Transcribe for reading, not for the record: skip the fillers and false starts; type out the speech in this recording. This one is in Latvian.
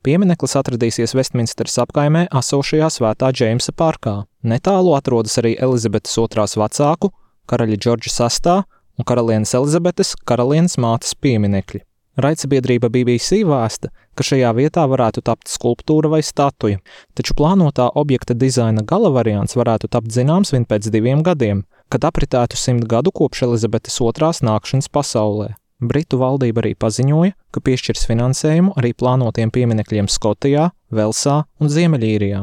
Piemineklis atradīsies Vestminsteras apkaimē esošajā Svētā Džeimsa parkā. Netālu atrodas arī Elizabetes II vecāku, karaļa Džordža VI un karalienes Elizabetes, karalienes mātes pieminekļi. Raidsabiedrība BBC vēsta, ka šajā vietā varētu tapt skulptūra vai statuja, taču plānotā objekta dizaina gala variants varētu tapt zināms vien pēc 2 gadiem, kad apritētu 100 gadu kopš Elizabetes II nākšanas pasaulē. Britu valdība arī paziņoja, ka piešķirs finansējumu arī plānotiem pieminekļiem Skotijā, Velsā un Ziemeļīrijā.